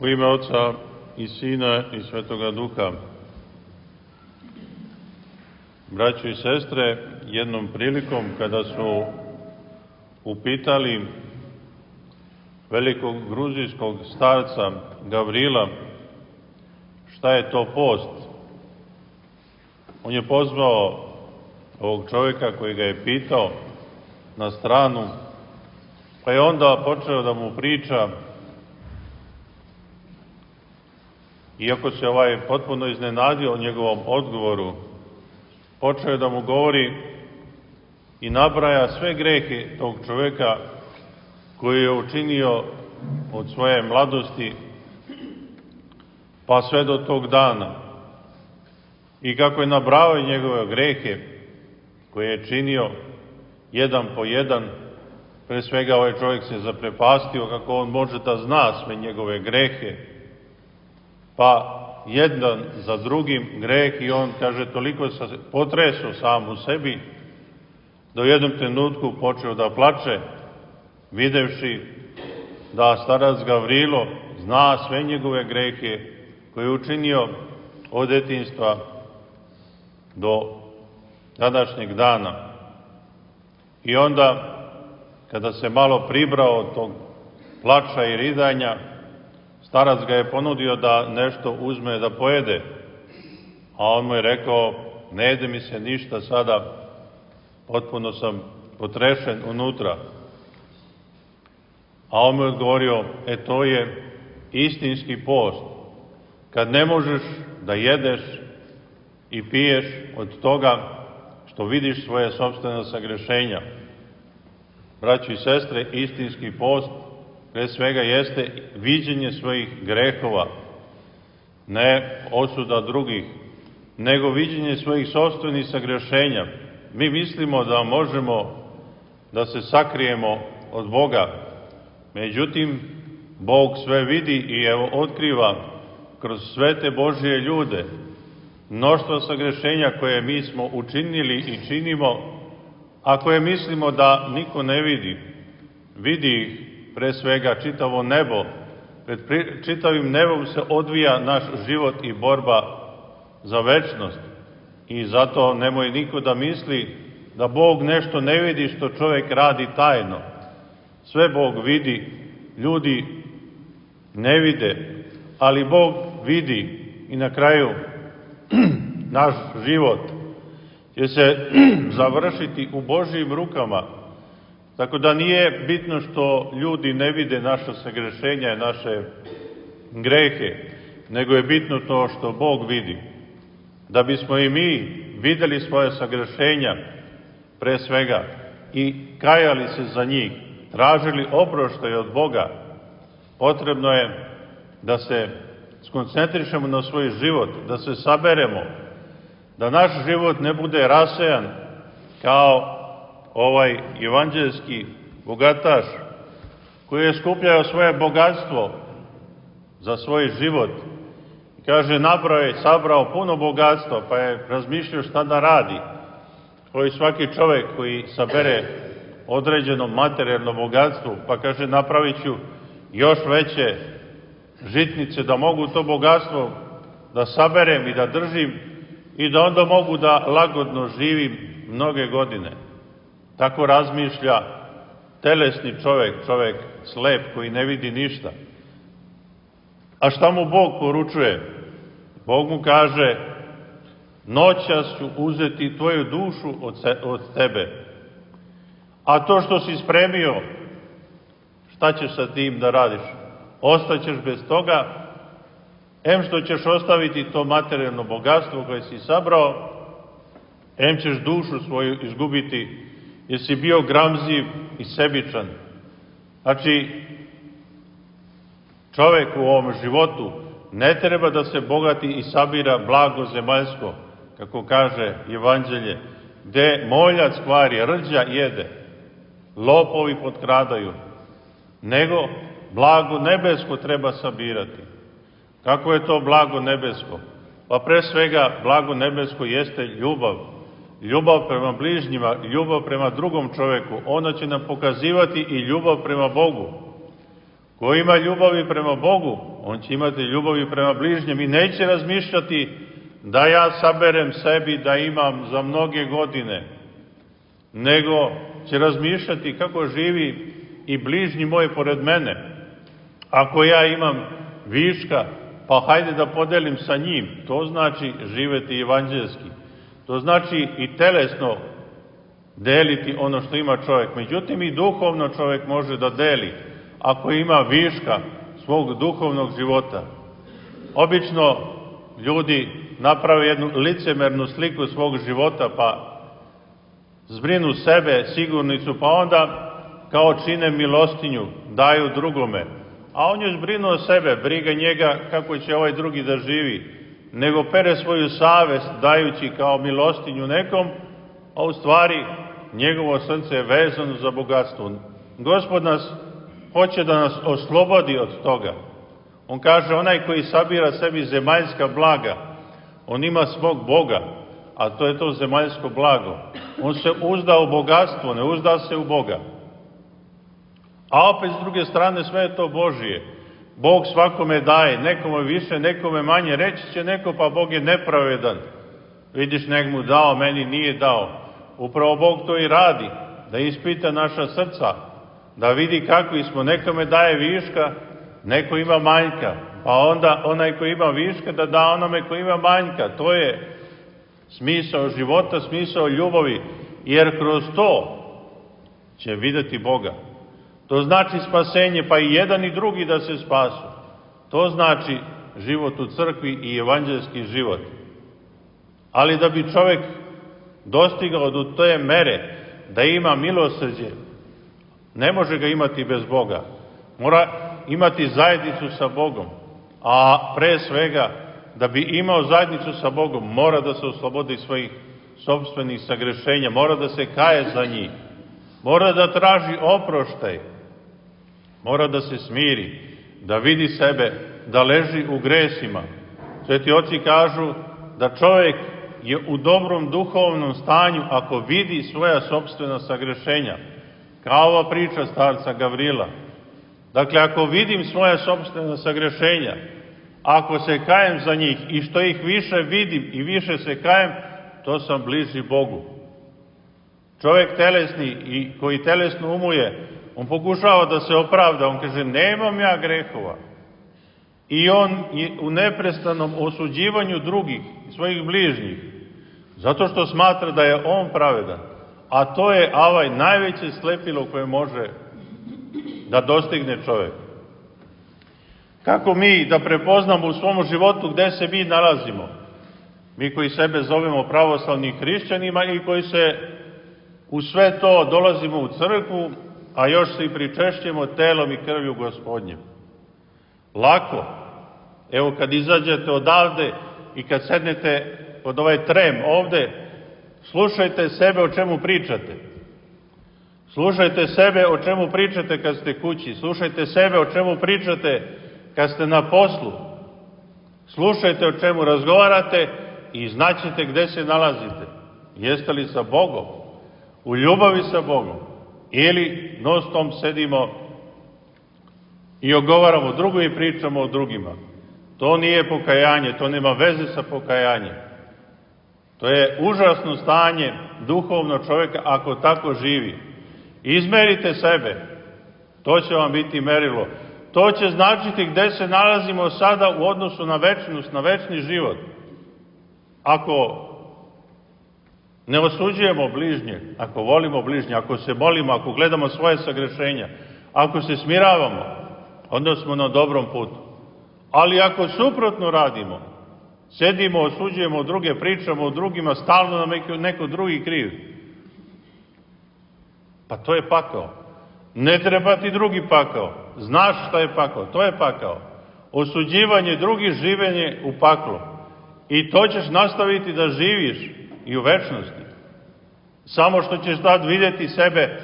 U ime Oca i Sina i Svetoga Duha. Braćo i sestre, jednom prilikom kada su upitali velikog gruzijskog starca Gavrila šta je to post, on je pozvao ovog čovjeka koji ga je pitao na stranu, pa je onda počeo da mu priča. Iako se potpuno iznenadio o njegovom odgovoru, počeo je da mu govori i nabraja sve grehe tog čovjeka koji je učinio od svoje mladosti pa sve do tog dana. I kako je nabrao njegove grehe koje je činio jedan po jedan, pre svega ovaj čovjek se zaprepastio kako on može da zna sve njegove grehe, pa jedan za drugim greh, i on, kaže, toliko se potresao sam u sebi da u jednom trenutku počeo da plače, videvši da starac Gavrilo zna sve njegove grehe koje je učinio od detinjstva do današnjeg dana. I onda, kada se malo pribrao od tog plača i ridanja, starac ga je ponudio da nešto uzme da pojede, a on mu je rekao: ne jede mi se ništa sada, potpuno sam potrešen unutra. A on mu je odgovorio: to je istinski post, kad ne možeš da jedeš i piješ od toga što vidiš svoje sopstvene sagrešenja. Braćo i sestre, istinski post pre svega jeste viđenje svojih grehova, ne osuda drugih, nego viđenje svojih sopstvenih sagrešenja. Mi mislimo da možemo da se sakrijemo od Boga, međutim, Bog sve vidi i evo otkriva kroz svete Božije ljude mnoštvo sagrešenja koje mi smo učinili i činimo, a koje mislimo da niko ne vidi. Vidi ih pre svega čitavo nebo. Pred čitavim nebom se odvija naš život i borba za večnost. I zato nemoj niko da misli da Bog nešto ne vidi što čovjek radi tajno. Sve Bog vidi, ljudi ne vide, ali Bog vidi. I na kraju naš život će se završiti u Božjim rukama. Tako da nije bitno što ljudi ne vide naša sagrešenja i naše grehe, nego je bitno to što Bog vidi. Da bismo i mi videli svoje sagrešenja, pre svega, i kajali se za njih, tražili oproštaj od Boga, potrebno je da se skoncentrišemo na svoj život, da se saberemo, da naš život ne bude rasejan kao ovaj evanđelski bogataš koji je skupljao svoje bogatstvo za svoj život. I kaže, nabrao je, sabrao puno bogatstva, pa je razmišljao šta da radi. Koji svaki čovjek koji sabere određeno materijalno bogatstvo, pa kaže, napravit ću još veće žitnice da mogu to bogatstvo da saberem i da držim i da onda mogu da lagodno živim mnoge godine. Tako razmišlja telesni čovjek, čovjek slep koji ne vidi ništa. A šta mu Bog poručuje? Bog mu kaže: noćas ću uzeti tvoju dušu od tebe. A to što si spremio, šta ćeš sa tim da radiš? Ostaćeš bez toga, em što ćeš ostaviti to materijalno bogatstvo koje si sabrao, em ćeš dušu svoju izgubiti, jer si bio gramziv i sebičan. Znači, čovjek u ovom životu ne treba da se bogati i sabira blago zemaljsko, kako kaže Evanđelje, gde moljac kvari, rđa jede, lopovi potkradaju, nego blago nebesko treba sabirati. Kako je to blago nebesko? Pa pre svega blago nebesko jeste ljubav. Ljubav prema bližnjima, ljubav prema drugom čoveku. Ona će nam pokazivati i ljubav prema Bogu. Ko ima ljubavi prema Bogu, on će imati ljubavi prema bližnjem i neće razmišljati da ja saberem sebi da imam za mnoge godine, nego će razmišljati kako živi i bližnji moj pored mene. Ako ja imam viška, pa hajde da podelim sa njim. To znači živeti evanđelski. To znači i telesno deliti ono što ima čovjek. Međutim, i duhovno čovjek može da deli ako ima viška svog duhovnog života. Obično ljudi naprave jednu licemernu sliku svog života, pa zbrinu sebe, sigurnicu, pa onda kao čine milostinju, daju drugome. A on još brinu o sebe, briga njega kako će ovaj drugi da živi, nego pere svoju savest dajući kao milostinju nekom, a u stvari njegovo srce je vezano za bogatstvo. Gospod nas hoće da nas oslobodi od toga. On kaže, onaj koji sabira sebi zemaljska blaga, on ima svog Boga, a to je to zemaljsko blago. On se uzda u bogatstvo, ne uzda se u Boga. A opet s druge strane sve je to Božije. Bog svakome daje, nekome više, nekome manje. Reći će neko, pa Bog je nepravedan. Vidiš, nek mu dao, meni nije dao. Upravo Bog to i radi, da ispita naša srca, da vidi kakvi smo. Nekome daje viška, neko ima manjka, pa onda onaj koji ima viška da da onome koji ima manjka. To je smisao života, smisao ljubavi, jer kroz to će videti Boga. To znači spasenje, pa i jedan i drugi da se spasu. To znači život u crkvi i evanđelski život. Ali da bi čovjek dostigao do te mere da ima milosrđe, ne može ga imati bez Boga. Mora imati zajednicu sa Bogom. A pre svega, da bi imao zajednicu sa Bogom, mora da se oslobodi svojih sopstvenih sagrešenja, mora da se kaje za njih, mora da traži oproštaj, mora da se smiri, da vidi sebe, da leži u gresima. Sveti oci kažu da čovjek je u dobrom duhovnom stanju ako vidi svoja sopstvena sagrešenja. Kao ova priča starca Gavrila. Dakle, ako vidim svoja sopstvena sagrešenja, ako se kajem za njih i što ih više vidim i više se kajem, to sam bliži Bogu. Čovjek telesni i koji telesno umuje, on pokušava da se opravda, on kaže, nemam ja grehova. I on je u neprestanom osuđivanju drugih, svojih bližnjih, zato što smatra da je on pravedan. A to je najveće slepilo koje može da dostigne čovjek. Kako mi da prepoznamo u svom životu gde se mi nalazimo? Mi koji sebe zovemo pravoslavnim hrišćanima i koji se u sve to dolazimo u crkvu, a još se i pričešćemo telom i krvju Gospodnjem. Lako. Evo kad izađete odavde i kad sednete pod ovaj trem ovde, slušajte sebe o čemu pričate. Slušajte sebe o čemu pričate kad ste kući. Slušajte sebe o čemu pričate kad ste na poslu. Slušajte o čemu razgovarate i znaćete gde se nalazite. Jeste li sa Bogom? U ljubavi sa Bogom? Ili non-stop sedimo i ogovaramo drugo i pričamo o drugima. To nije pokajanje, to nema veze sa pokajanjem. To je užasno stanje duhovno čovjeka ako tako živi. Izmerite sebe, to će vam biti merilo. To će značiti gde se nalazimo sada u odnosu na večnost, na večni život. Ako ne osuđujemo bližnje, ako volimo bližnje, ako se molimo, ako gledamo svoje sagrešenja, ako se smiravamo, onda smo na dobrom putu. Ali ako suprotno radimo, sedimo, osuđujemo druge, pričamo o drugima, stalno nam neko drugi kriv, pa to je pakao. Ne treba ti drugi pakao. Znaš šta je pakao, to je pakao. Osuđivanje drugih, življenje u paklu. I to ćeš nastaviti da živiš i u večnosti. Samo što ćeš tad vidjeti sebe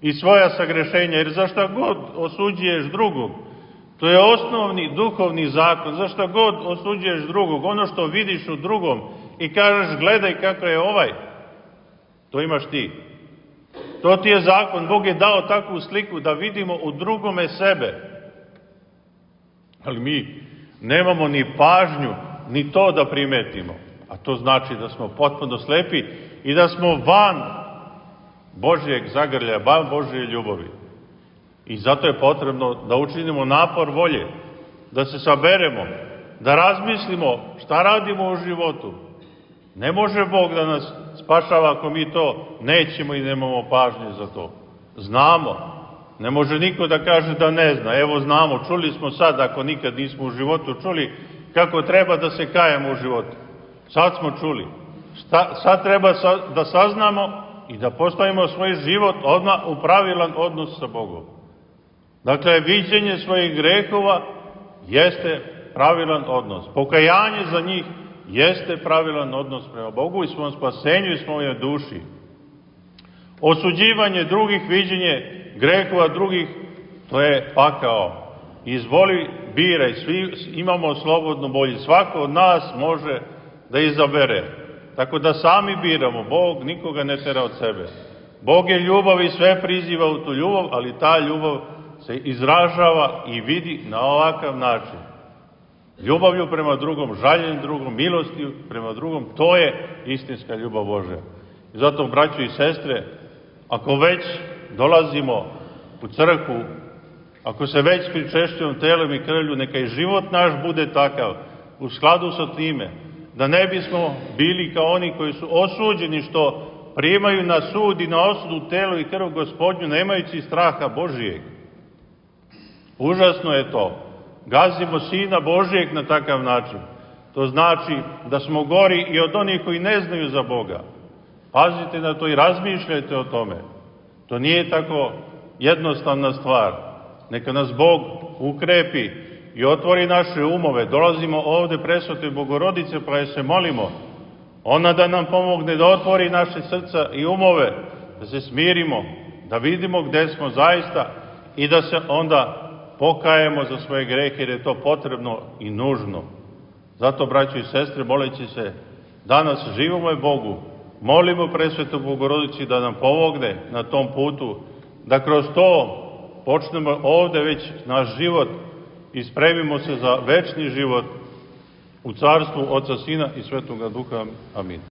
i svoja sagrešenja, jer za šta god osuđuješ drugog, to je osnovni duhovni zakon, za šta god osuđuješ drugog, ono što vidiš u drugom i kažeš gledaj kako je ovaj, to imaš ti. To ti je zakon, Bog je dao takvu sliku da vidimo u drugome sebe. Ali mi nemamo ni pažnju, ni to da primetimo. A to znači da smo potpuno slepi i da smo van Božjeg zagrljaja, van Božje ljubavi. I zato je potrebno da učinimo napor volje, da se saberemo, da razmislimo šta radimo u životu. Ne može Bog da nas spašava ako mi to nećemo i nemamo pažnje za to. Znamo. Ne može niko da kaže da ne zna. Evo znamo, čuli smo sad, ako nikad nismo u životu čuli, kako treba da se kajemo u životu. Sad smo čuli. Sad treba da saznamo i da postavimo svoj život odmah u pravilan odnos sa Bogom. Dakle, viđenje svojih grehova jeste pravilan odnos. Pokajanje za njih jeste pravilan odnos prema Bogu i svom spasenju i svojoj duši. Osuđivanje drugih, viđenje grehova drugih, to je pakao. Izvoli, biraj, svi imamo slobodnu volju. Svako od nas može da izabere. Tako da sami biramo. Bog nikoga ne tera od sebe. Bog je ljubav i sve priziva u tu ljubav, ali ta ljubav se izražava i vidi na ovakav način. Ljubavlju prema drugom, žaljenjem drugom, milostiju prema drugom, to je istinska ljubav Božja. I zato, braćo i sestre, ako već dolazimo u crkvu, ako se već pričešćujemo telom i krvlju, neka i život naš bude takav, u skladu sa time, da ne bismo bili kao oni koji su osuđeni što primaju na sud i na osudu telo i krv Gospodnju, nemajući straha Božijeg. Užasno je to. Gazimo Sina Božijeg na takav način. To znači da smo gori i od onih koji ne znaju za Boga. Pazite na to i razmišljajte o tome. To nije tako jednostavna stvar. Neka nas Bog ukrepi i otvori naše umove. Dolazimo ovde presvetoj Bogorodice pa je se molimo. Ona da nam pomogne da otvori naše srca i umove, da se smirimo, da vidimo gde smo zaista i da se onda pokajemo za svoje grehe, jer je to potrebno i nužno. Zato, braćo i sestre, moleći se danas živome Bogu, molimo presvetu Bogorodici da nam pomogne na tom putu, da kroz to počnemo ovde već naš život i spremimo se za večni život u carstvu Oca, Sina i Svetoga Duha. Amin.